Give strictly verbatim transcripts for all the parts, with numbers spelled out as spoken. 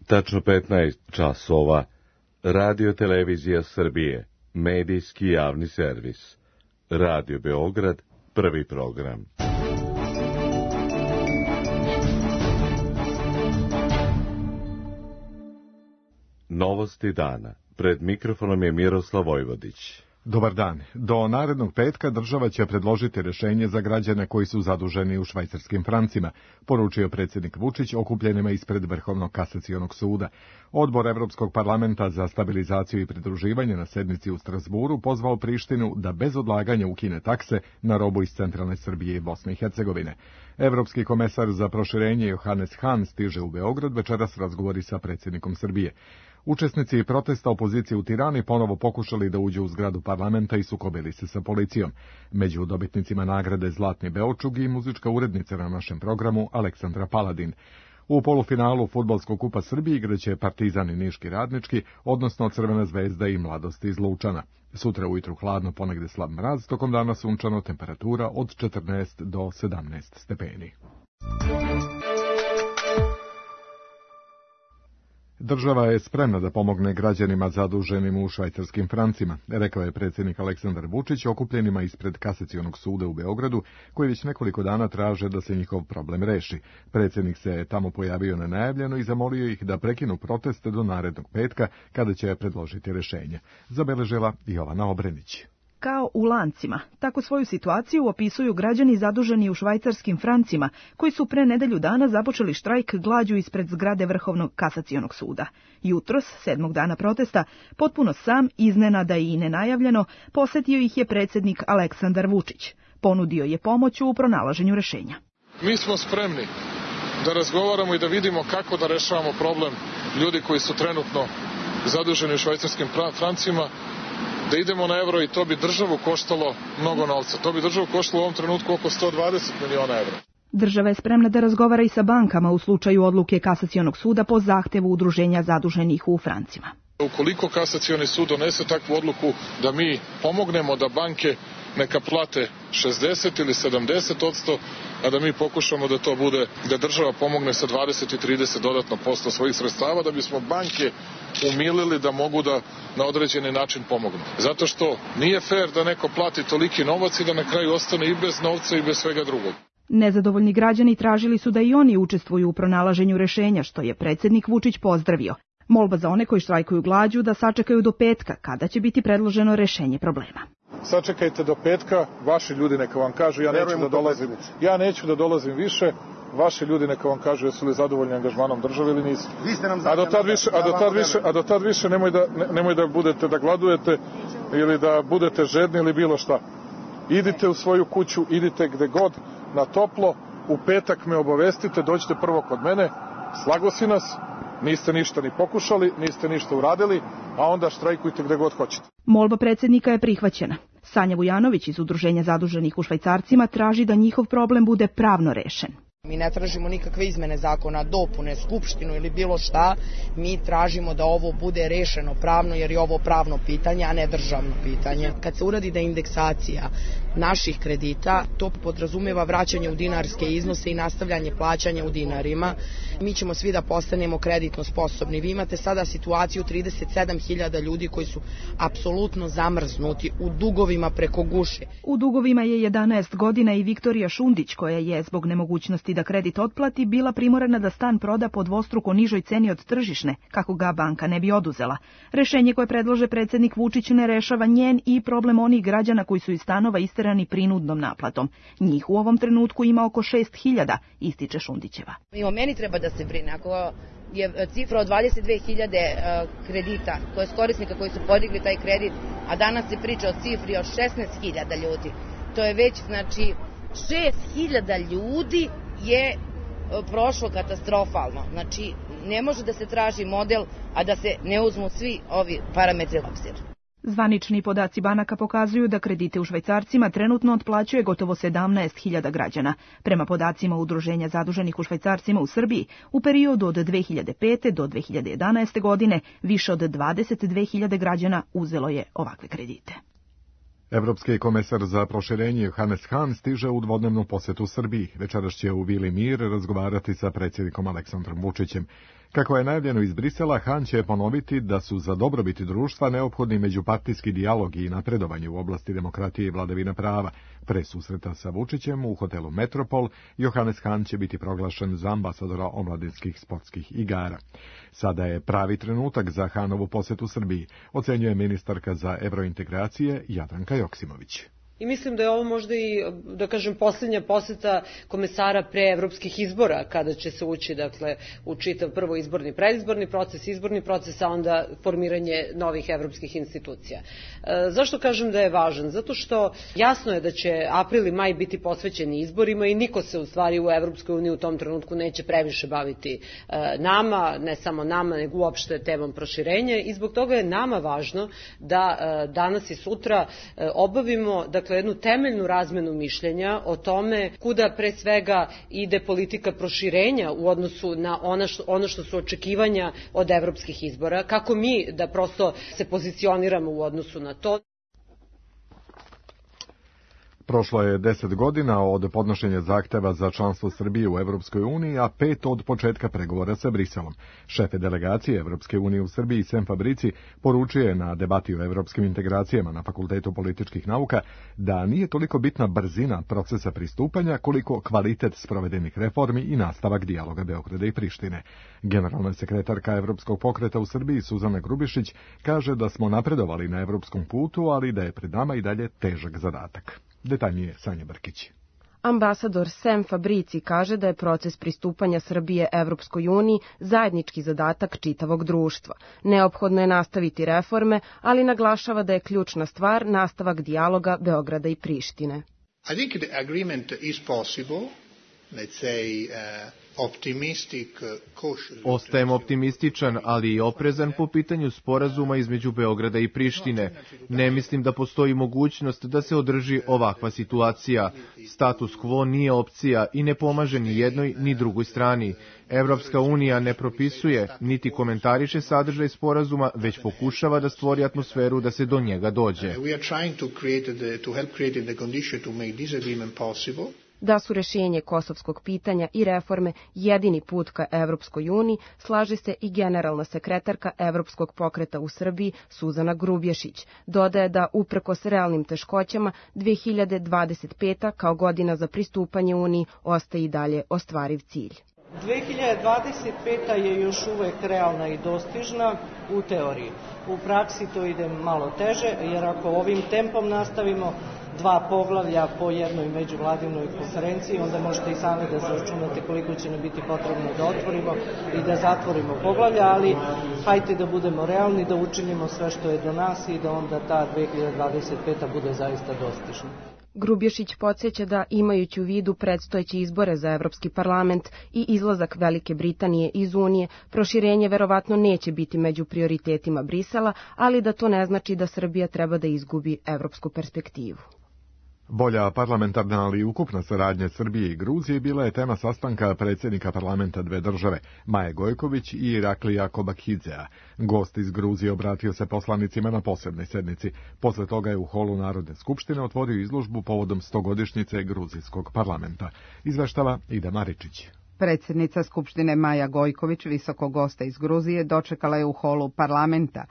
Tačno petnaest časova. Radio Televizija Srbije. Medijski javni servis. Radio Beograd. Prvi program. Novosti dana. Pred mikrofonom je Miroslav Vojvodić. Dobar dan. Do narednog petka država će predložiti rješenje za građane koji su zaduženi u švajcarskim francima, poručio predsjednik Vučić okupljenima ispred Vrhovnog kasacionog suda. Odbor Evropskog parlamenta za stabilizaciju i pridruživanje na sednici u Strasburu pozvao Prištinu da bez odlaganja ukine takse na robu iz centralne Srbije i Bosne i Hercegovine. Evropski komesar za proširenje Johannes Hahn stiže u Beograd večeras razgovori sa predsjednikom Srbije. Učesnici protesta opozicije u Tirani ponovo pokušali da uđu u zgradu parlamenta i sukobili se sa policijom. Među dobitnicima nagrade Zlatni Beočug i muzička urednica na našem programu Aleksandra Paladin. U polufinalu Fudbalskog kupa Srbije igraće Partizan i Niški Radnički, odnosno Crvena zvezda i Mladost iz Lučana. Sutra ujutru hladno, ponegde slab mraz, tokom dana sunčano, temperatura od četrnaest do sedamnaest stepeni. Država je spremna da pomogne građanima zaduženim u švajcarskim francima, rekao je predsjednik Aleksandar Vučić okupljenima ispred Kasacionog suda u Beogradu, koji već nekoliko dana traže da se njihov problem reši. Predsjednik se tamo pojavio nenajavljeno i zamolio ih da prekinu proteste do narednog petka, kada će predložiti rješenje. Zabeležila Jovana Obrenić. Kao u lancima, tako svoju situaciju opisuju građani zaduženi u švajcarskim francima, koji su pre nedelju dana započeli štrajk glađu ispred zgrade Vrhovnog kasacionog suda. Jutros, sedmog dana protesta, potpuno sam, iznenada i nenajavljeno, posjetio ih je predsjednik Aleksandar Vučić. Ponudio je pomoć u pronalaženju rješenja. Mi smo spremni da razgovaramo i da vidimo kako da rešavamo problem ljudi koji su trenutno zaduženi u švajcarskim francima, da idemo na euro i to bi državu koštalo mnogo novca. To bi državu koštalo u ovom trenutku oko sto dvadeset miliona evra. Država je spremna da razgovara i sa bankama u slučaju odluke Kasacionog suda po zahtevu udruženja zaduženih u francima. Ukoliko Kasacioni sud donese takvu odluku da mi pomognemo da banke neka plate šezdeset ili sedamdeset odsto, a da mi pokušamo da to bude, da država pomogne sa dvadeset i trideset dodatno posto svojih sredstava, da bismo banke umilili da mogu da na određeni način pomognu. Zato što nije fair da neko plati toliki novac i da na kraju ostane i bez novca i bez svega drugog. Nezadovoljni građani tražili su da i oni učestvuju u pronalaženju rješenja, što je predsjednik Vučić pozdravio. Molba za one koji štrajkuju glađu da sačekaju do petka, kada će biti predloženo rješenje problema. Sačekajte do petka, vaši ljudi neka vam kažu, ja neću da dolazim, ja neću da dolazim više, vaši ljudi neka vam kažu jesu li zadovoljni angažmanom države ili nisu. A do tad više, a do tad više, a do tad više nemoj da nemoj da budete da gladujete ili da budete žedni ili bilo šta. Idite u svoju kuću, idite gde god na toplo, u petak me obavestite, dođite prvo kod mene, slagosi nas. Niste ništa ni pokušali, niste ništa uradili, a onda štrajkujte gde god hoćete. Molba predsjednika je prihvaćena. Sanja Vujanović iz Udruženja zaduženih u švajcarcima traži da njihov problem bude pravno rešen. Mi ne tražimo nikakve izmene zakona, dopune, skupštinu ili bilo šta. Mi tražimo da ovo bude rešeno pravno, jer je ovo pravno pitanje, a ne državno pitanje. Kad se uradi da indeksacija naših kredita, to podrazumeva vraćanje u dinarske iznose i nastavljanje plaćanja u dinarima. Mi ćemo svi da postanemo kreditno sposobni. Vi imate sada situaciju trideset sedam hiljada ljudi koji su apsolutno zamrznuti u dugovima preko guše. U dugovima je jedanaest godina i Viktorija Šundić, koja je zbog nemogućnosti da kredit otplati bila primorana da stan proda po dvostruko nižoj ceni od tržišne, kako ga banka ne bi oduzela. Rešenje koje predlože predsjednik Vučić ne rešava njen i problem onih građana koji su iz stanova isterani prinudnom naplatom. Njih u ovom trenutku ima oko šest hiljada, ističe Šundićeva. Mimo meni treba da se brine. Ako je cifra od dvadeset dve hiljade kredita, to je korisnika koji su podigli taj kredit, a danas se priča o cifri od šesnaest hiljada ljudi. To je već, znači, šest hiljada ljudi je prošlo katastrofalno. Znači, ne može da se traži model, a da se ne uzmu svi ovi parametri u obzir. Zvanični podaci banaka pokazuju da kredite u švajcarcima trenutno otplaćuje gotovo sedamnaest hiljada građana. Prema podacima Udruženja zaduženih u švajcarcima u Srbiji, u periodu od dve hiljade pete do dve hiljade jedanaeste godine više od dvadeset dve hiljade građana uzelo je ovakve kredite. Evropski komesar za proširenje Johannes Hahn stiže u dvodnevnu posetu Srbiji. Večeras će u Vili Mir razgovarati sa predsjednikom Aleksandrom Vučićem. Kako je najavljeno iz Brisela, Hahn će ponoviti da su za dobrobit društva neophodni međupartijski dijalog i napredovanje u oblasti demokratije i vladavine prava. Pre susreta sa Vučićem u hotelu Metropol, Johannes Hahn će biti proglašen za ambasadora omladinskih sportskih igara. Sada je pravi trenutak za Hahnovu posetu Srbiji, ocenjuje ministarka za evrointegracije Jadranka Joksimović. I mislim da je ovo možda i, da kažem, posljednja poseta komesara pre evropskih izbora, kada će se ući, dakle, u čitav prvo izborni, predizborni proces, izborni proces, a onda formiranje novih evropskih institucija. E, zašto kažem da je važan? Zato što jasno je da će april i maj biti posvećeni izborima i niko se u stvari u Evropskoj uniji u tom trenutku neće previše baviti e, nama, ne samo nama, nego uopšte temom proširenja i zbog toga je nama važno da e, danas i sutra e, obavimo, dakle, jednu temeljnu razmenu mišljenja o tome kuda pre svega ide politika proširenja u odnosu na ono što, ono što su očekivanja od evropskih izbora, kako mi da prosto se pozicioniramo u odnosu na to. Prošlo je deset godina od podnošenja zahteva za članstvo Srbije u Evropskoj uniji, a pet od početka pregovora sa Briselom. Šefe delegacije Evropske unije u Srbiji Sem Fabrici poručuje na debati o evropskim integracijama na Fakultetu političkih nauka da nije toliko bitna brzina procesa pristupanja koliko kvalitet sprovedenih reformi i nastavak dijaloga Beograda i Prištine. Generalna sekretarka Evropskog pokreta u Srbiji Suzana Grubišić kaže da smo napredovali na evropskom putu, ali da je pred nama i dalje težak zadatak. Detaljnije Sanja Brkić. Ambasador Sem Fabrici kaže da je proces pristupanja Srbije Evropskoj uniji zajednički zadatak čitavog društva. Neophodno je nastaviti reforme, ali naglašava da je ključna stvar nastavak dijaloga Beograda i Prištine. I think the agreement is possible. Let's say, uh, optimistic, cautious. Ostajem optimističan, ali i oprezan po pitanju sporazuma između Beograda i Prištine. Ne mislim da postoji mogućnost da se održi ovakva situacija. Status quo nije opcija i ne pomaže ni jednoj ni drugoj strani. Evropska unija ne propisuje niti komentariše sadržaj sporazuma, već pokušava da stvori atmosferu da se do njega dođe. We are trying to create the, to help create the condition to make this agreement possible. Da su rješenje kosovskog pitanja i reforme jedini put ka Evropskoj uniji, slaže se i generalna sekretarka Evropskog pokreta u Srbiji Suzana Grubješić. Dodaje da uprkos realnim teškoćama dve hiljade dvadeset peta kao godina za pristupanje Uniji ostaje i dalje ostvariv cilj. dve hiljade dvadeset peta je još uvek realna i dostižna u teoriji. U praksi to ide malo teže, jer ako ovim tempom nastavimo dva poglavlja po jednoj međuvladinoj konferenciji, onda možete i sami da zaračunate koliko će nam biti potrebno da otvorimo i da zatvorimo poglavlja, ali hajte da budemo realni, da učinimo sve što je do nas i da onda ta dve hiljade dvadeset peta bude zaista dostižna. Grubješić podsjeća da, imajući u vidu predstojeće izbore za Evropski parlament i izlazak Velike Britanije iz Unije, proširenje verovatno neće biti među prioritetima Brisela, ali da to ne znači da Srbija treba da izgubi evropsku perspektivu. Bolja parlamentarna, ali ukupna saradnja Srbije i Gruzije bila je tema sastanka predsjednika parlamenta dve države, Maje Gojković i Iraklija Kobakidzea. Gost iz Gruzije obratio se poslanicima na posebnoj sednici. Posle toga je u holu Narodne skupštine otvorio izložbu povodom stogodišnjice gruzijskog parlamenta. Izveštava Ida Maričić. Predsjednica Skupštine Maja Gojković, visokog gosta iz Gruzije, dočekala je u holu parlamenta.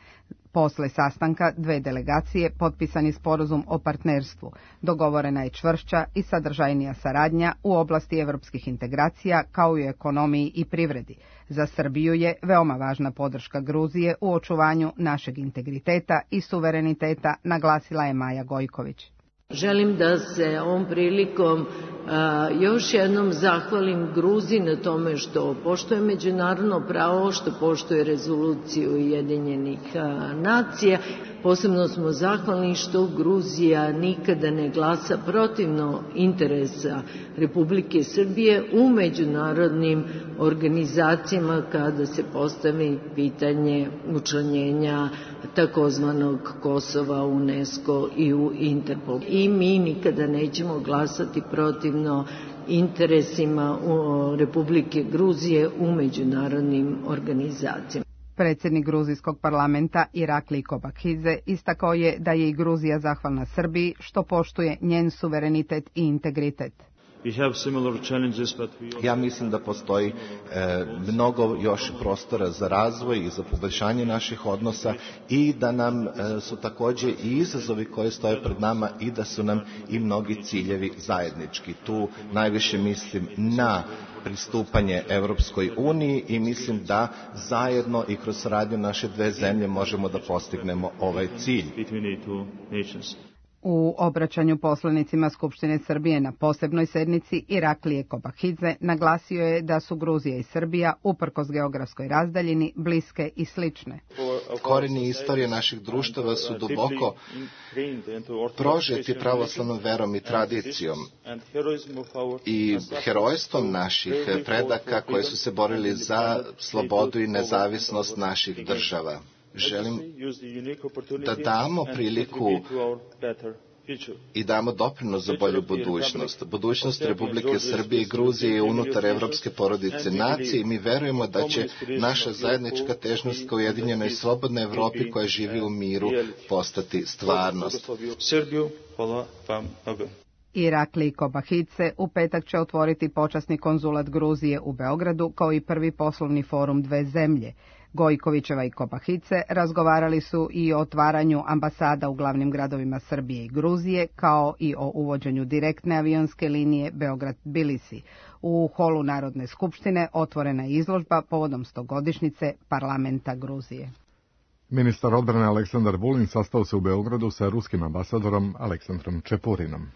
Posle sastanka dve delegacije potpisan je sporazum o partnerstvu. Dogovorena je čvršća i sadržajnija saradnja u oblasti evropskih integracija kao i u ekonomiji i privredi. Za Srbiju je veoma važna podrška Gruzije u očuvanju našeg integriteta i suvereniteta, naglasila je Maja Gojković. Želim da se ovom prilikom a, još jednom zahvalim Gruziji na tome što poštuje međunarodno pravo, što poštuje rezoluciju Ujedinjenih a, nacija. Posebno smo zahvalni što Gruzija nikada ne glasa protivno interesa Republike Srbije u međunarodnim organizacijama kada se postavi pitanje učlanjenja takozvanog Kosova u UNESCO i u Interpol. I mi nikada nećemo glasati protivno interesima Republike Gruzije u međunarodnim organizacijama. Predsjednik gruzijskog parlamenta Irakli Kobakidze istakao je da je i Gruzija zahvalna Srbiji što poštuje njen suverenitet i integritet. Ja mislim da postoji e, mnogo još prostora za razvoj i za poboljšanje naših odnosa i da nam e, su također i izazovi koji stoje pred nama i da su nam i mnogi ciljevi zajednički. Tu najviše mislim na pristupanje Evropskoj uniji i mislim da zajedno i kroz saradnju naše dve zemlje možemo da postignemo ovaj cilj. U obraćanju poslanicima Skupštine Srbije na posebnoj sednici Iraklije Kobakidze naglasio je da su Gruzija i Srbija, uprkos geografskoj razdaljini, bliske i slične. Korijeni istorije naših društava su duboko prožeti pravoslavnom verom i tradicijom i herojstvom naših predaka koji su se borili za slobodu i nezavisnost naših država. Želim da damo priliku i damo doprinos za bolju budućnost. Budućnost Republike Srbije i Gruzije je unutar evropske porodice nacije i mi verujemo da će naša zajednička težnost ka ujedinjenoj i slobodnoj Evropi koja živi u miru postati stvarnost. Irakli Kobakidze u petak će otvoriti počasni konzulat Gruzije u Beogradu kao i prvi poslovni forum dve zemlje. Gojkovićeva i Kobakidze razgovarali su i o otvaranju ambasada u glavnim gradovima Srbije i Gruzije, kao i o uvođenju direktne avionske linije Beograd-Tbilisi. U holu Narodne skupštine otvorena je izložba povodom stogodišnjice parlamenta Gruzije. Ministar odbrane Aleksandar Vulin sastao se u Beogradu sa ruskim ambasadorom Aleksandrom Čepurinom.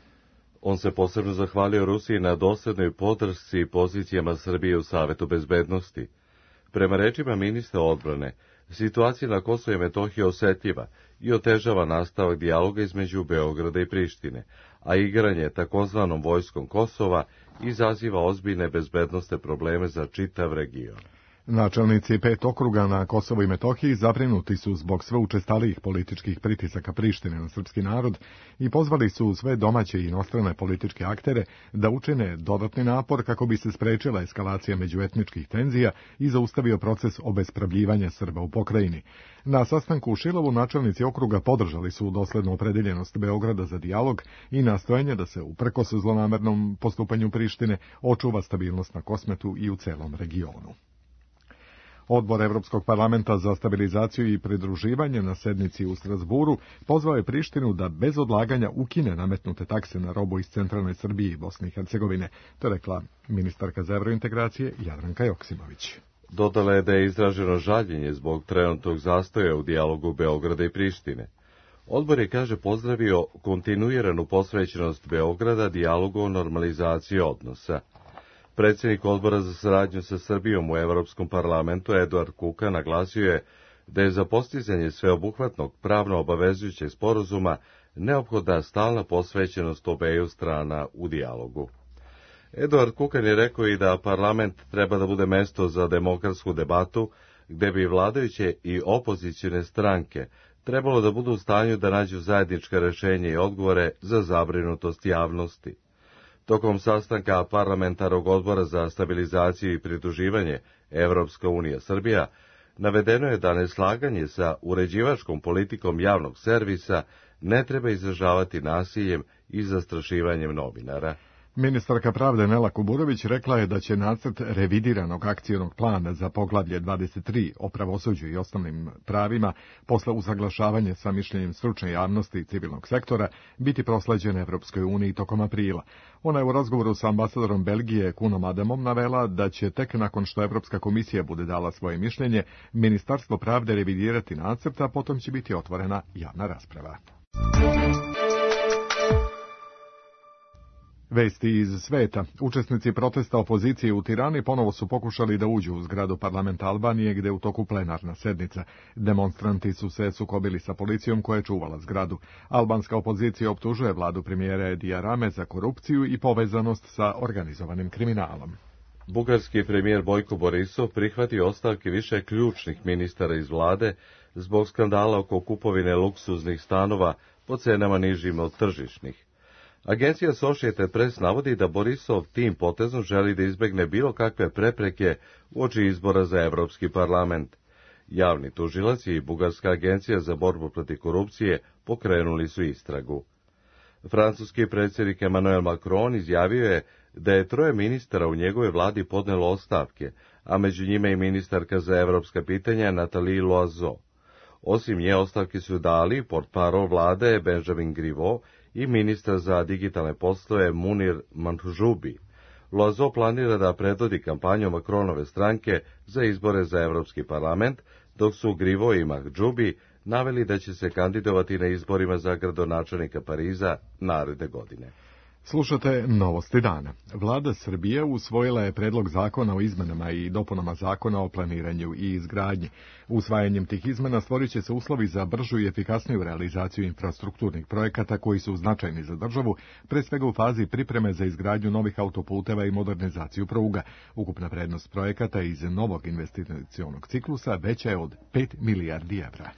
On se posebno zahvalio Rusiji na doslednoj podršci i pozicijama Srbije u Savetu bezbednosti. Prema rečima ministra odbrane, situacija na Kosovu i Metohiji je osetljiva i otežava nastavak dijaloga između Beograda i Prištine, a igranje takozvanom vojskom Kosova izaziva ozbiljne bezbednosne probleme za čitav region. Načelnici pet okruga na Kosovu i Metohiji zabrinuti su zbog sve učestalijih političkih pritisaka Prištine na srpski narod i pozvali su sve domaće i inostrane političke aktere da učine dodatni napor kako bi se sprečila eskalacija međuetničkih tenzija i zaustavio proces obespravljivanja Srba u pokrajini. Na sastanku u Šilovu načelnici okruga podržali su doslednu opredeljenost Beograda za dijalog i nastojanje da se uprkos zlonamernom postupanju Prištine očuva stabilnost na Kosmetu i u celom regionu. Odbor Evropskog parlamenta za stabilizaciju i pridruživanje na sednici u Strasburu pozvao je Prištinu da bez odlaganja ukine nametnute takse na robu iz centralne Srbije i Bosne i Hercegovine, to je rekla ministarka za evrointegracije Jadranka Joksimović. Dodala je da je izraženo žaljenje zbog trenutnog zastoja u dijalogu Beograda i Prištine. Odbor je, kaže, pozdravio kontinuiranu posvećenost Beograda dijalogu o normalizaciji odnosa. Predsjednik odbora za saradnju sa Srbijom u Evropskom parlamentu Eduard Kuka naglasio je da je za postizanje sveobuhvatnog pravno obavezujućeg sporazuma neophodna stalna posvećenost obeju strana u dijalogu. Eduard Kukan je rekao i da parlament treba da bude mesto za demokratsku debatu, gde bi vladajuće i opozicione stranke trebalo da budu u stanju da nađu zajednička rešenja i odgovore za zabrinutost javnosti. Tokom sastanka parlamentarnog odbora za stabilizaciju i pridruživanje Evropska unija Srbija navedeno je da neslaganje sa uređivačkom politikom javnog servisa ne treba izražavati nasiljem i zastrašivanjem novinara. Ministarka pravde Nela Kuburović rekla je da će nacrt revidiranog akcionog plana za poglavlje dvadeset tri o pravosuđu i osnovnim pravima posle usaglašavanja sa mišljenjem stručne javnosti i civilnog sektora biti prosleđen Evropskoj uniji tokom aprila. Ona je u razgovoru sa ambasadorom Belgije Kunom Adamom navela da će tek nakon što Evropska komisija bude dala svoje mišljenje, Ministarstvo pravde revidirati nacrt, a potom će biti otvorena javna rasprava. Vesti iz sveta. Učesnici protesta opozicije u Tirani ponovo su pokušali da uđu u zgradu parlamenta Albanije, gde je u toku plenarna sednica. Demonstranti su se sukobili sa policijom koja je čuvala zgradu. Albanska opozicija optužuje vladu premijera Edija Rame za korupciju i povezanost sa organizovanim kriminalom. Bugarski premijer Bojko Borisov prihvatio ostavke više ključnih ministara iz vlade zbog skandala oko kupovine luksuznih stanova po cenama nižim od tržišnih. Agencija Associated Press navodi da Borisov tim potezom želi da izbegne bilo kakve prepreke uoči izbora za Evropski parlament. Javni tužilac i Bugarska agencija za borbu protiv korupcije pokrenuli su istragu. Francuski predsjednik Emmanuel Macron izjavio je da je troje ministara u njegove vladi podnelo ostavke, a među njime i ministarka za evropska pitanja Nathalie Loiseau. Osim nje ostavke su dali portparol vlade Benjamin Griveaux i ministar za digitalne poslove Munir Manhoubi. Loiseau planira da predvodi kampanju Macronove stranke za izbore za Evropski parlament, dok su Griveaux i Manhoubi naveli da će se kandidovati na izborima za gradonačelnika Pariza naredne godine. Slušate Novosti dana. Vlada Srbije usvojila je predlog zakona o izmenama i dopunama zakona o planiranju i izgradnji. Usvajanjem tih izmena stvorit će se uslovi za bržu i efikasniju realizaciju infrastrukturnih projekata koji su značajni za državu, pre svega u fazi pripreme za izgradnju novih autoputeva i modernizaciju pruga. Ukupna vrednost projekata iz novog investicionog ciklusa veća je od pet milijardi evra.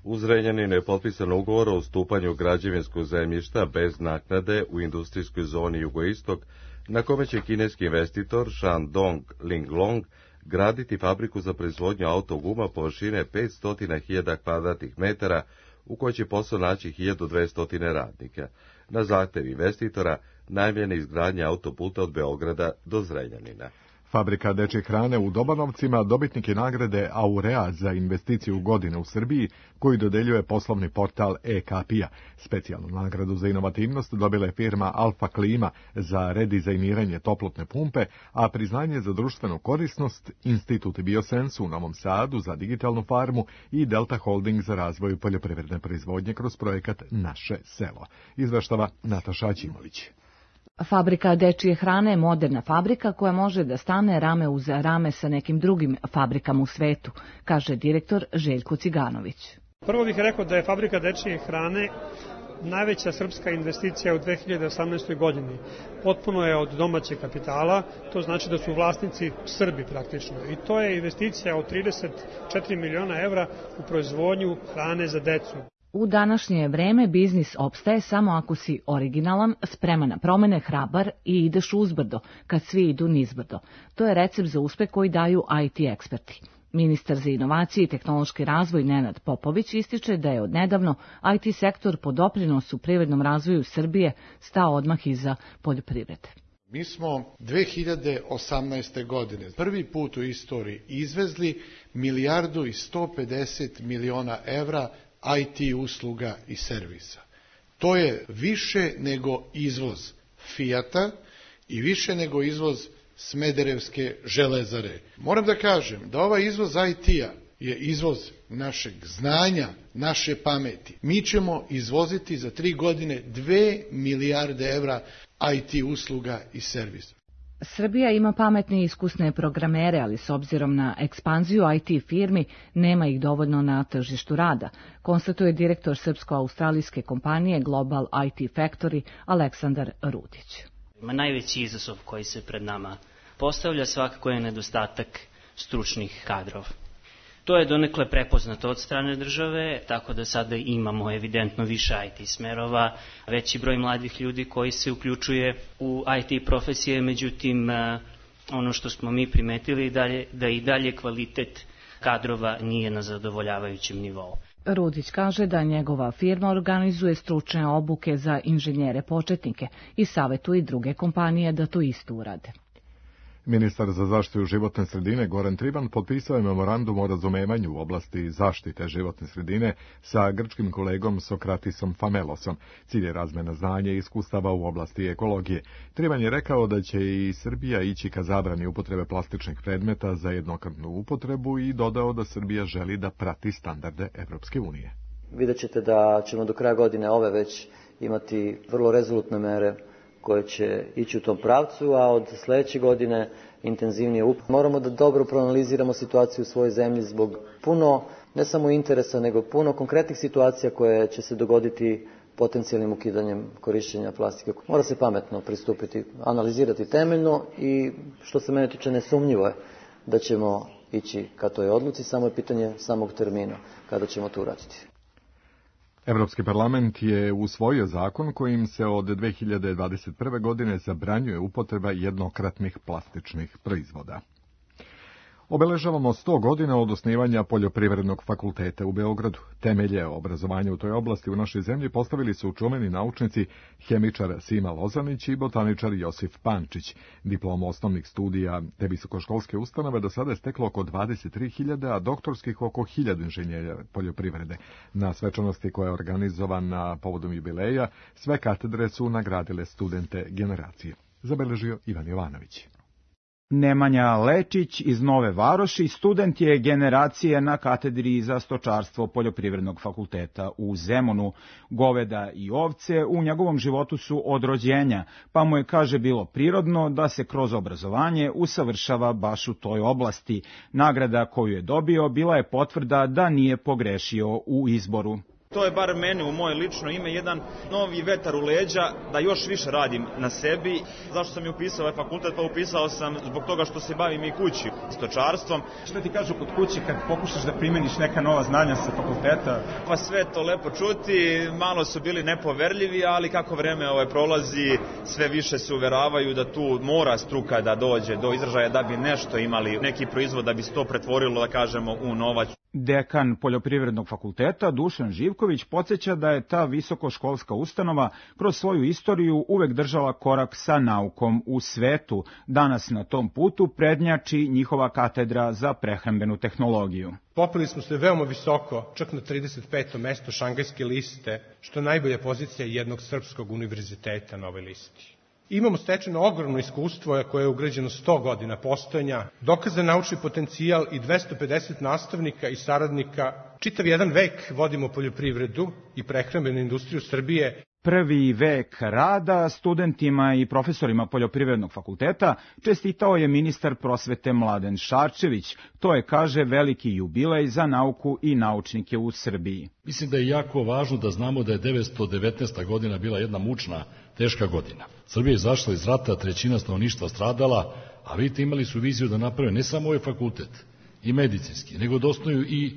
U Zrenjaninu je potpisan ugovor o ustupanju građevinskog zemljišta bez naknade u industrijskoj zoni Jugoistok, na kome će kineski investitor Shandong Linglong graditi fabriku za proizvodnju autoguma površine petsto hiljada kvadratnih metara, u kojoj će posao naći hiljadu dvesta radnika. Na zahtev investitora najavljena izgradnja autoputa od Beograda do Zrenjanina. Fabrika dečje hrane u Dobanovcima dobitnik je nagrade Aurea za investiciju godine u Srbiji, koju dodeljuje poslovni portal e-Kapija. Specijalnu nagradu za inovativnost dobila je firma Alfa Klima za redizajniranje toplotne pumpe, a priznanje za društvenu korisnost Institut Biosens u Novom Sadu za digitalnu farmu i Delta Holding za razvoj poljoprivredne proizvodnje kroz projekat Naše selo. Izveštava Nataša Aćimović. Fabrika dečije hrane je moderna fabrika koja može da stane rame uz rame sa nekim drugim fabrikama u svetu, kaže direktor Željko Ciganović. Prvo bih rekao da je fabrika dečije hrane najveća srpska investicija u dve hiljade osamnaestoj. godini. Potpuno je od domaćeg kapitala, to znači da su vlasnici Srbi praktično. I to je investicija od trideset četiri miliona evra u proizvodnju hrane za decu. U današnje vreme biznis opstaje samo ako si originalan, spreman na promene, hrabar i ideš uzbrdo, kad svi idu nizbrdo. To je recept za uspeh koji daju I T eksperti. Ministar za inovacije i tehnološki razvoj Nenad Popović ističe da je odnedavno I T sektor po doprinosu privrednom razvoju Srbije stao odmah iza poljoprivrede. Mi smo dve hiljade osamnaeste. godine prvi put u istoriji izvezli milijardu i sto pedeset miliona evra I T usluga i servisa. To je više nego izvoz Fijata i više nego izvoz Smederevske železare. Moram da kažem da ovaj izvoz I T-a je izvoz našeg znanja, naše pameti. Mi ćemo izvoziti za tri godine dve milijarde evra I T usluga i servisa. Srbija ima pametne i iskusne programere, ali s obzirom na ekspanziju I T firmi nema ih dovoljno na tržištu rada, konstatuje direktor srpsko-australijske kompanije Global I T Factory Aleksandar Rudić. Ima najveći izazov koji se pred nama postavlja svakako je nedostatak stručnih kadrova. To je donekle prepoznato od strane države, tako da sada imamo evidentno više I T smerova, veći broj mladih ljudi koji se uključuje u I T profesije, međutim ono što smo mi primetili dalje, da i dalje kvalitet kadrova nije na zadovoljavajućem nivou. Rudić kaže da njegova firma organizuje stručne obuke za inženjere početnike i savjetuje i druge kompanije da to isto urade. Ministar za zaštitu životne sredine Goran Triban potpisao je memorandum o razumevanju u oblasti zaštite životne sredine sa grčkim kolegom Sokratisom Famelosom. Cilj je razmena znanja i iskustava u oblasti ekologije. Triban je rekao da će i Srbija ići ka zabrani upotrebe plastičnih predmeta za jednokratnu upotrebu i dodao da Srbija želi da prati standarde Evropske unije. Vidjet ćete da ćemo do kraja godine ove već imati vrlo rezolutne mere koje će ići u tom pravcu, a od sljedeće godine intenzivnije up. Moramo da dobro proanaliziramo situaciju u svojoj zemlji zbog puno, ne samo interesa, nego puno konkretnih situacija koje će se dogoditi potencijalnim ukidanjem korišćenja plastike. Mora se pametno pristupiti, analizirati temeljno i što se mene tiče nesumnjivo je da ćemo ići ka toj odluci, samo je pitanje samog termina kada ćemo to uraditi. Evropski parlament je usvojio zakon kojim se od dve hiljade dvadeset prve. godine zabranjuje upotreba jednokratnih plastičnih proizvoda. Obeležavamo sto godina od osnivanja Poljoprivrednog fakulteta u Beogradu. Temelje obrazovanja u toj oblasti u našoj zemlji postavili su čuveni naučnici hemičar Sima Lozanić i botaničar Josif Pančić. Diplomu osnovnih studija te visokoškolske ustanove do sada je steklo oko dvadeset tri hiljade, a doktorskih oko hiljadu inženjera poljoprivrede. Na svečanosti koja je organizovana povodom jubileja, sve katedre su nagradile studente generacije. Zabeležio Ivan Jovanović. Nemanja Lečić iz Nove Varoši student je generacije na katedri za stočarstvo Poljoprivrednog fakulteta u Zemunu. Goveda i ovce u njegovom životu su od rođenja, pa mu je, kaže, bilo prirodno da se kroz obrazovanje usavršava baš u toj oblasti. Nagrada koju je dobio bila je potvrda da nije pogrešio u izboru. To je bar meni u moje lično ime jedan novi vetar u leđa da još više radim na sebi. Zašto sam i upisao ovaj fakultet? Pa upisao sam zbog toga što se bavim i kući stočarstvom. Što ti kažu kod kuće kad pokušaš da primeniš neka nova znanja sa fakulteta? Pa sve to lepo čuti, malo su bili nepoverljivi, ali kako vreme ovaj prolazi, sve više se uveravaju da tu mora struka da dođe do izražaja da bi nešto imali, neki proizvod da bi se to pretvorilo, da kažemo, u novac. Dekan Poljoprivrednog fakulteta Dušan Živković podsjeća da je ta visokoškolska ustanova kroz svoju istoriju uvek držala korak sa naukom u svetu. Danas na tom putu prednjači njihova katedra za prehrambenu tehnologiju. Popeli smo se veoma visoko, čak na trideset peto mesto Šangajske liste, što je najbolja pozicija jednog srpskog univerziteta na ovoj listi. Imamo stečeno ogromno iskustvo koje je ugrađeno sto godina postojanja, dokazan naučni potencijal i dvesta pedeset nastavnika i saradnika. Čitav jedan vek vodimo poljoprivredu i prehrambenu industriju Srbije. Prvi vek rada studentima i profesorima Poljoprivrednog fakulteta čestitao je ministar prosvete Mladen Šarčević. To je, kaže, veliki jubilej za nauku i naučnike u Srbiji. Mislim da je jako važno da znamo da je devetsto devetnaesta godina bila jedna mučna, teška godina. Srbija je izašla iz rata, trećina stanovništva stradala, a vidite, imali su viziju da naprave ne samo ovaj fakultet i medicinski, nego da osnuju i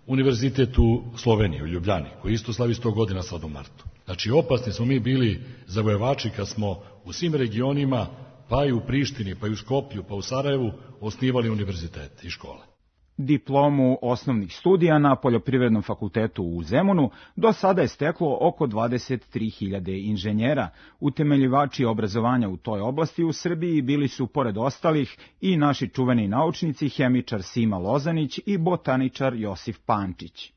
univerzitet u Sloveniji, u Ljubljani, koji isto slavi sto godina sad u martu. Znači, opasni smo mi bili zavojevači kad smo u svim regionima, pa i u Prištini, pa i u Skoplju, pa u Sarajevu, osnivali univerzitete i škole. Diplomu osnovnih studija na Poljoprivrednom fakultetu u Zemunu do sada je steklo oko dvadeset tri hiljade inženjera. Utemeljivači obrazovanja u toj oblasti u Srbiji bili su, pored ostalih, i naši čuveni naučnici hemičar Sima Lozanić i botaničar Josif Pančić.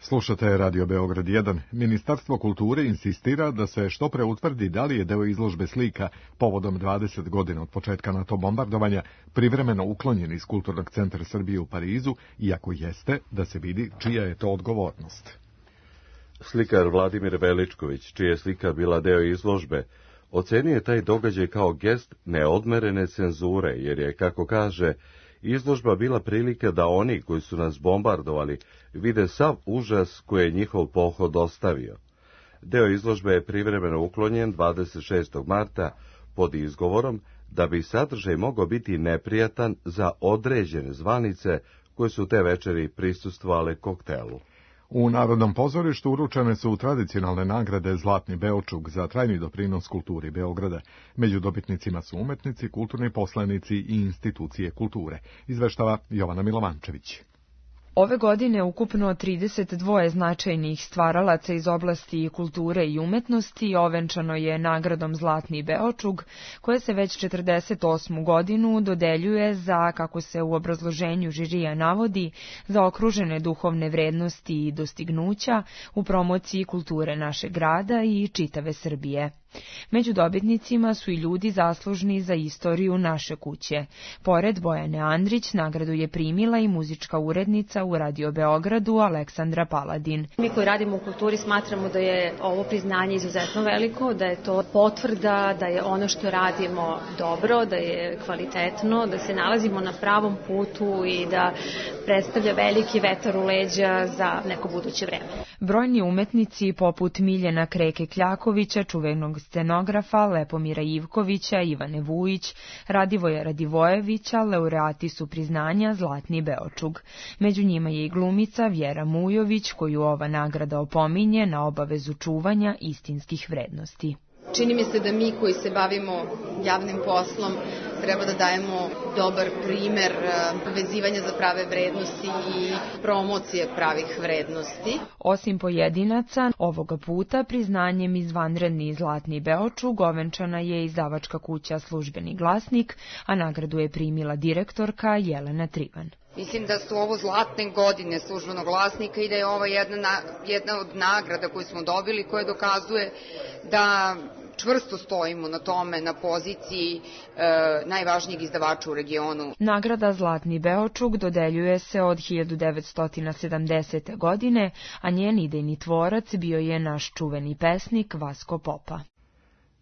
Slušate Radio Beograd jedan. Ministarstvo kulture insistira da se što pre utvrdi da li je deo izložbe slika povodom dvadeset godina od početka NATO bombardovanja privremeno uklonjen iz Kulturnog centra Srbije u Parizu, iako jeste, da se vidi čija je to odgovornost. Slikar Vladimir Veličković, čija je slika bila deo izložbe, ocenio je taj događaj kao gest neodmerene cenzure, jer je, kako kaže, izložba bila prilika da oni koji su nas bombardovali vide sav užas koji je njihov pohod ostavio. Deo izložbe je privremeno uklonjen dvadeset šestog marta pod izgovorom da bi sadržaj mogao biti neprijatan za određene zvanice koje su te večeri prisustvovale koktelu. U Narodnom pozorištu uručene su tradicionalne nagrade Zlatni Beočug za trajni doprinos kulturi Beograda. Među dobitnicima su umetnici, kulturni poslanici i institucije kulture. Izveštava Jovana Milovančević. Ove godine ukupno trideset dva značajnih stvaralaca iz oblasti kulture i umetnosti ovenčano je nagradom Zlatni Beočug, koja se već četrdeset osmu godinu dodeljuje za, kako se u obrazloženju žirija navodi, za okružene duhovne vrednosti i dostignuća u promociji kulture našeg grada i čitave Srbije. Među dobitnicima su i ljudi zaslužni za istoriju naše kuće. Pored Bojane Andrić, nagradu je primila i muzička urednica u Radio Beogradu Aleksandra Paladin. Mi koji radimo u kulturi smatramo da je ovo priznanje izuzetno veliko, da je to potvrda, da je ono što radimo dobro, da je kvalitetno, da se nalazimo na pravom putu i da predstavlja veliki vetar u leđa za neko buduće vreme. Brojni umetnici poput Miljana Kreke Kljakovića, čuvenog scenografa, Lepomira Ivkovića, Ivane Vujić, Radivoja Radivojevića, laureati su priznanja Zlatni Beočug. Među njima je i glumica Vjera Mujović, koju ova nagrada opominje na obavezu čuvanja istinskih vrednosti. Čini mi se da mi koji se bavimo javnim poslom treba da dajemo dobar primer vezivanja za prave vrednosti i promocije pravih vrednosti. Osim pojedinaca, ovoga puta priznanjem izvanredni Zlatni Beočug ovenčana je izdavačka kuća Službeni glasnik, a nagradu je primila direktorka Jelena Trivan. Mislim da su ovo zlatne godine Službenog glasnika i da je ovo jedna, jedna od nagrada koju smo dobili, koja dokazuje da čvrsto stojimo na tome, na poziciji e, najvažnijeg izdavača u regionu. Nagrada Zlatni Beočug dodeljuje se od hiljadu devetsto sedamdesete. godine, a njen idejni tvorac bio je naš čuveni pesnik Vasko Popa.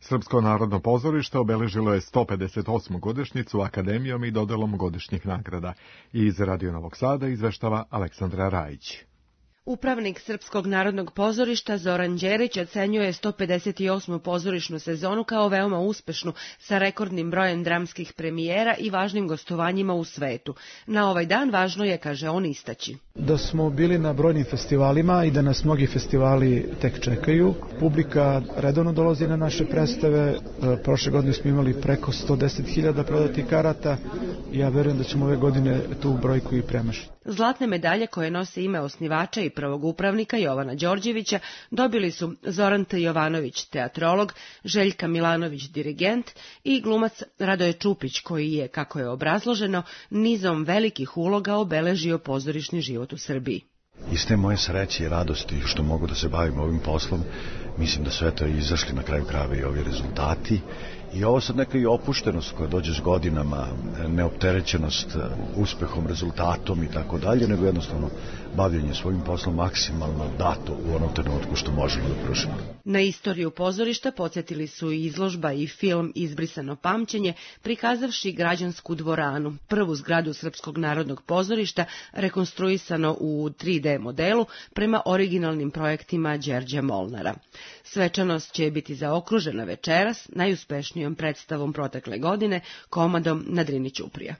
Srpsko narodno pozorište obeležilo je sto pedeset osmu godišnjicu akademijom i dodelom godišnjih nagrada. Iz Radio Novog Sada izveštava Aleksandra Rajić. Upravnik Srpskog narodnog pozorišta Zoran Đerić ocenjuje sto pedeset osmu pozorišnu sezonu kao veoma uspešnu, sa rekordnim brojem dramskih premijera i važnim gostovanjima u svetu. Na ovaj dan važno je, kaže on, istaći da smo bili na brojnim festivalima i da nas mnogi festivali tek čekaju. Publika redovno dolazi na naše predstave. Prošle godine smo imali preko sto deset hiljada prodatih karata i ja verujem da ćemo ove godine tu brojku i premašiti. Zlatne medalje koje nose ime osnivača i prvog upravnika Jovana Đorđevića dobili su Zoran T. Jovanović, teatrolog, Željka Milanović, dirigent, i glumac Radoje Čupić, koji je, kako je obrazloženo, nizom velikih uloga obeležio pozorišni život u Srbiji. Iz te moje sreće i radosti što mogu da se bavim ovim poslom, mislim da sve to je izašli na kraju krajeva i ovi rezultati. I ovo sad neka i opuštenost koja dođe s godinama, neopterećenost uspehom, rezultatom i tako dalje, nego jednostavno bavljenje svojim poslom maksimalno dato u onom trenutku što možemo da pružimo. Na istoriju pozorišta podsjetili su i izložba i film Izbrisano pamćenje, prikazavši građansku dvoranu, prvu zgradu Srpskog narodnog pozorišta, rekonstruisano u tri D modelu prema originalnim projektima Đerđa Molnara. Svečanost će biti zaokružena večeras najuspešnijom predstavom protekle godine, komadom na Drini ćuprija.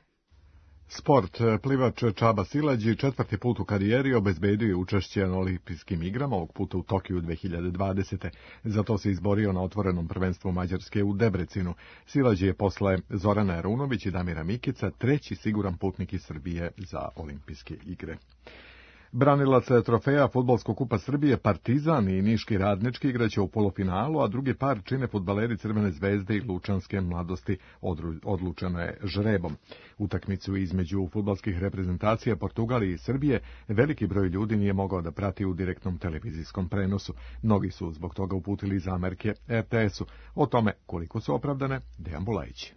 Sport. Plivač Čaba Silađi četvrti put u karijeri obezbedio je učešće na olimpijskim igrama, ovog puta u Tokiju dve hiljade dvadesete. Zato se izborio na otvorenom prvenstvu Mađarske u Debrecinu. Silađi je posle Zorana Arunović i Damira Mikica treći siguran putnik iz Srbije za olimpijske igre. Branilac trofeja Fudbalskog kupa Srbije Partizan i Niški Radnički igraće u polufinalu, a drugi par čine fudbaleri Crvene zvezde i Lučanske mladosti. Odlučeno je žrebom. Utakmicu između fudbalskih reprezentacija Portugalije i Srbije veliki broj ljudi nije mogao da prati u direktnom televizijskom prenosu. Mnogi su zbog toga uputili zamerke er te esu. O tome koliko su opravdane, Dejan Bulajić.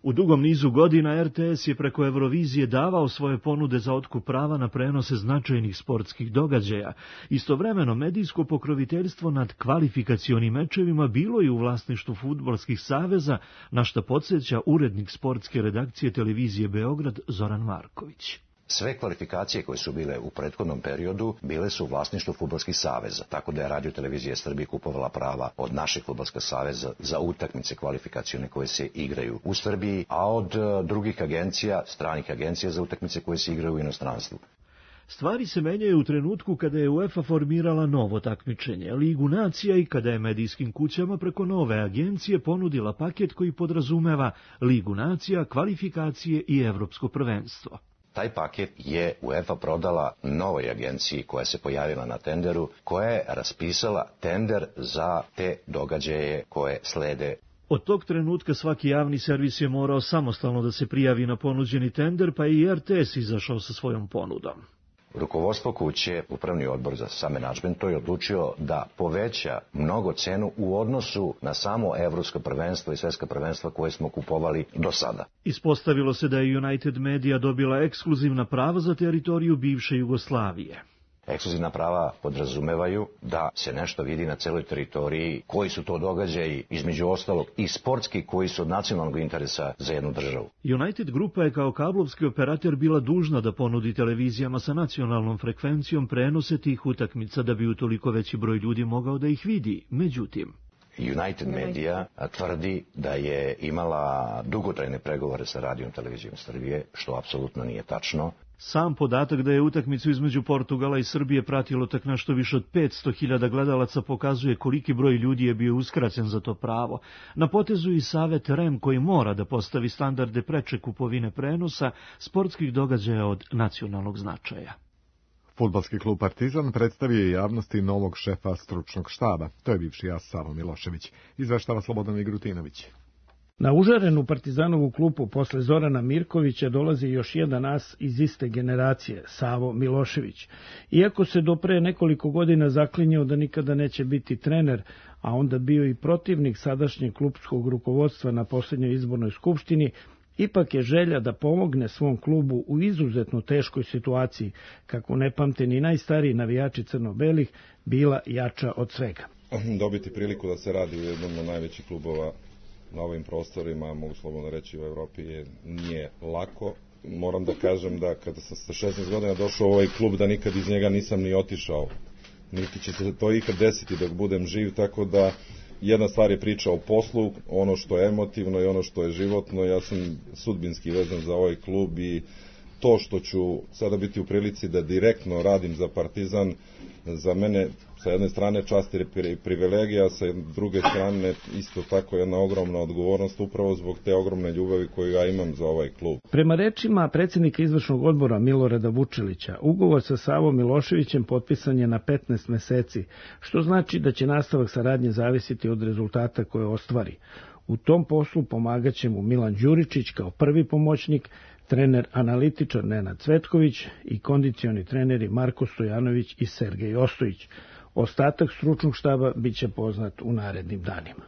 U dugom nizu godina er te es je preko Eurovizije davao svoje ponude za otkup prava na prenose značajnih sportskih događaja. Istovremeno medijsko pokroviteljstvo nad kvalifikacionim mečevima bilo je u vlasništvu fudbalskih saveza, na šta podsjeća urednik sportske redakcije televizije Beograd Zoran Marković. Sve kvalifikacije koje su bile u prethodnom periodu bile su u vlasništvu fudbalskih saveza, tako da je Radio Televizija Srbije kupovala prava od našeg fudbalskog saveza za utakmice kvalifikacione koje se igraju u Srbiji, a od drugih agencija, stranih agencija za utakmice koje se igraju u inostranstvu. Stvari se menjaju u trenutku kada je UEFA formirala novo takmičenje, Ligu nacija, i kada je medijskim kućama preko nove agencije ponudila paket koji podrazumeva Ligu nacija, kvalifikacije i evropsko prvenstvo. Taj paket je UEFA prodala novoj agenciji koja se pojavila na tenderu, koja je raspisala tender za te događaje koje slede. Od tog trenutka svaki javni servis je morao samostalno da se prijavi na ponuđeni tender, pa i er te es izašao sa svojom ponudom. Rukovodstvo kuće, upravni odbor za sam menadžment, je odlučio da poveća mnogo cenu u odnosu na samo evropsko prvenstvo i svetska prvenstva koje smo kupovali do sada. Ispostavilo se da je United Media dobila ekskluzivna prava za teritoriju bivše Jugoslavije. Ekskluzivna prava podrazumevaju da se nešto vidi na celoj teritoriji, koji su to događaji, između ostalog i sportski, koji su od nacionalnog interesa za jednu državu. United Grupa je kao kablovski operator bila dužna da ponudi televizijama sa nacionalnom frekvencijom prenose tih utakmica da bi utoliko veći broj ljudi mogao da ih vidi. Međutim, United Media tvrdi da je imala dugotrajne pregovore sa Radijom televizijom Srbije, što apsolutno nije tačno. Sam podatak da je utakmicu između Portugala i Srbije pratilo tak nešto više od petsto hiljada gledalaca pokazuje koliki broj ljudi je bio uskraćen za to pravo. Na potezu i Savet R E M koji mora da postavi standarde preče kupovine prenosa sportskih događaja od nacionalnog značaja. Fudbalski klub Partizan predstavio je javnosti novog šefa stručnog štaba. To je bivši as Savo Milošević. Izveštava Slobodan Migrutinović. Na užarenu Partizanovu klupu posle Zorana Mirkovića dolazi još jedan as iz iste generacije, Savo Milošević. Iako se do pre nekoliko godina zaklinjao da nikada neće biti trener, a onda bio i protivnik sadašnjeg klubskog rukovodstva na posljednjoj izbornoj skupštini, ipak je želja da pomogne svom klubu u izuzetno teškoj situaciji, kako ne pamte ni najstariji navijači crno-belih, bila jača od svega. Dobiti priliku da se radi u jednom od najvećih klubova na ovim prostorima, mogu slobodno reći u Evropi, je, nije lako. Moram da kažem da kada sam sa šesnaest godina došao u ovaj klub, da nikad iz njega nisam ni otišao. Niti će se to ikad desiti dok budem živ, tako da jedna stvar je priča o poslu, ono što je emotivno i ono što je životno. Ja sam sudbinski vezan za ovaj klub i to što ću sada biti u prilici da direktno radim za Partizan, za mene sa jedne strane čast i privilegija, sa druge strane isto tako jedna ogromna odgovornost upravo zbog te ogromne ljubavi koju ja imam za ovaj klub. Prema rečima predsjednika izvršnog odbora Milorada Vučilića, ugovor sa Savom Miloševićem potpisan je na petnaest meseci, što znači da će nastavak saradnje zavisiti od rezultata koje ostvari. U tom poslu pomagaće mu Milan Đuričić kao prvi pomoćnik, trener analitičar Nenad Cvetković i kondicioni treneri Marko Stojanović i Sergej Ostojić. Ostatak stručnog štaba biće poznat u narednim danima.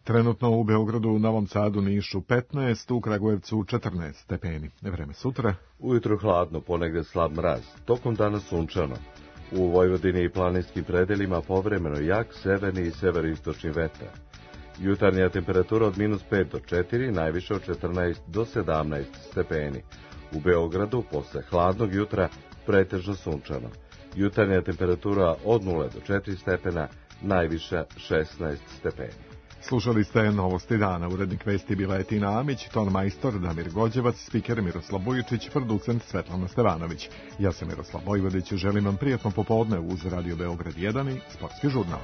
Trenutno u Beogradu, u Novom Sadu, Nišu petnaest, u Kragujevcu četrnaest stepeni. Vreme sutra. Ujutro hladno, ponegde slab mraz, tokom dana sunčano. U Vojvodini i planinskim predelima povremeno jak severni i severistočni vetar. Jutarnja temperatura od minus pet do četiri, najviše od četrnaest do sedamnaest stepeni. U Beogradu, posle hladnog jutra, pretežno sunčano. Jutarnja temperatura od nula do četiri stepena, najviša šesnaest stepeni. Slušali ste Novosti dana, urednik vesti bila je Tina Amić, ton majstor Damir Gođevac, spiker Miroslav Bujičić, producent Svetlana Stevanović. Ja sam Miroslav Vojvodić, želim vam prijatno popodne uz Radio Beograd jedan i Sportski žurnal.